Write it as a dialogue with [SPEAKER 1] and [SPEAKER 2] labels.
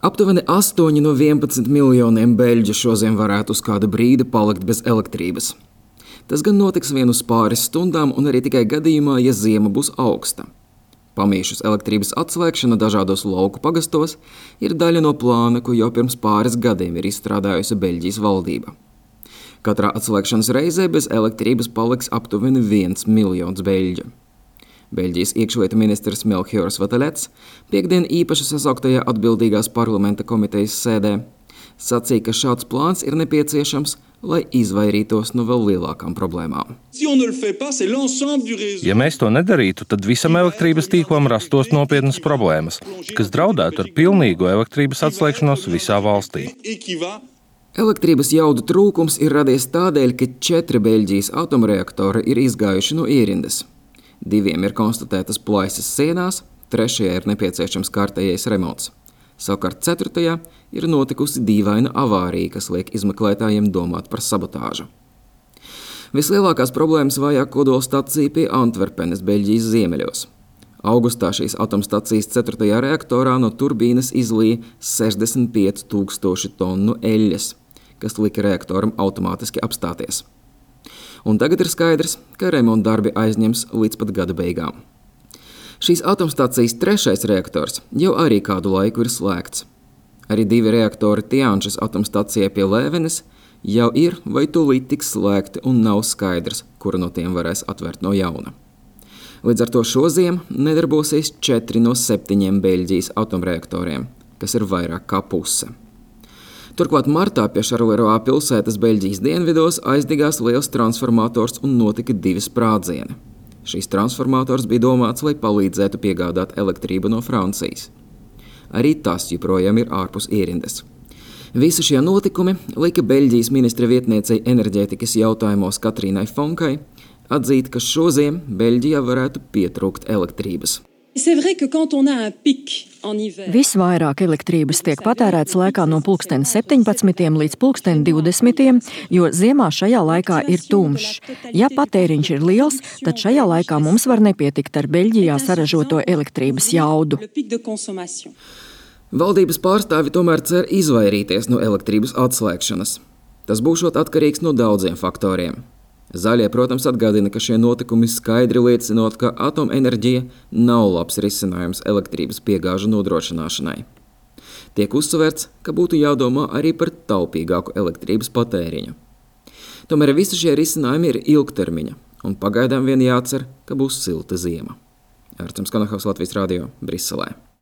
[SPEAKER 1] Aptuveni 8 no 11 miljoniem beļģu šodien varētu uz kādu brīdi palikt bez elektrības. Tas gan notiks vien uz pāris stundām un arī tikai gadījumā, ja ziema būs augsta. Pamīšus elektrības atslēgšana dažādos lauku pagastos ir daļa no plāna, ko jau pirms pāris gadiem ir izstrādājusi Beļģijas valdība. Katrā atslēgšanas reizē bez elektrības paliks aptuveni 1 miljons beļģu. Beļģijas iekšlietu ministrs Melchiors Vatelets piekdien īpaši sasauktajā atbildīgās parlamenta komitejas sēdē sacīja, ka šāds plāns ir nepieciešams, lai izvairītos no vēl lielākām problēmām.
[SPEAKER 2] Ja mēs to nedarītu, tad visam elektrības tīklam rastos nopietnas problēmas, kas draudētu ar pilnīgu elektrības atslēgšanos visā valstī.
[SPEAKER 1] Elektrības jaudu trūkums ir radies tādēļ, ka 4 Beļģijas atomreaktori ir izgājuši no ierindas. 2 ir konstatētas plaisas sienās, 3 ir nepieciešams kārtējais remonts. Savukārt 4. ir notikusi dīvaina avārija, kas liek izmeklētājiem domāt par sabotāžu. Vislielākās problēmas vajā kodolstacija pie Antverpenes, Beļģijas ziemeļos. Augustā šīs atomstacijas 4. reaktorā no turbīnas izlīja 65,000 tonu eļļas, kas lika reaktoram automātiski apstāties. Un tagad ir skaidrs, ka remonta darbi aizņems līdz pat gada beigām. Šīs atomstacijas 3. reaktors jau arī kādu laiku ir slēgts. Arī 2 reaktori Tianšas atomstacijai pie Lēvenes jau ir vai tūlīt tiks slēgti un nav skaidrs, kura no tiem varēs atvērt no jauna. Līdz ar to šoziem nedarbosies 4 no 7 Beļģijas atomreaktoriem, kas ir vairāk kā puse. Turklāt martā pie Šarleroā pilsētas Beļģijas dienvidos aizdegās liels transformators un notika 2 sprādzieni. Šīs transformators bija domāts, lai palīdzētu piegādāt elektrību no Francijas. Arī tas joprojām ir ārpus ierindas. Visi šie notikumi lika Beļģijas ministra vietniecei enerģētikas jautājumos Katrīnai Fonkai atzīt, ka šoziem Beļģijā varētu pietrūkt elektrības.
[SPEAKER 3] Visvairāk elektrības tiek patērēts laikā no 17 līdz 20, jo ziemā šajā laikā ir tumšs. Ja patēriņš ir liels, tad šajā laikā mums var nepietikt ar Beļģijā saražoto elektrības jaudu.
[SPEAKER 1] Valdības pārstāvi tomēr cer izvairīties no elektrības atslēgšanas. Tas būšot atkarīgs no daudziem faktoriem. Zaļie, protams, atgādina, ka šie notikumi skaidri liecinot, ka atomenerģija nav labs risinājums elektrības piegāžu nodrošināšanai. Tiek uzsverts, ka būtu jādomā arī par taupīgāku elektrības patēriņu. Tomēr visi šie risinājumi ir ilgtermiņa, un pagaidām vien jācer, ka būs silta ziema. Ārcams Kanahaus, Latvijas radio, Briselē.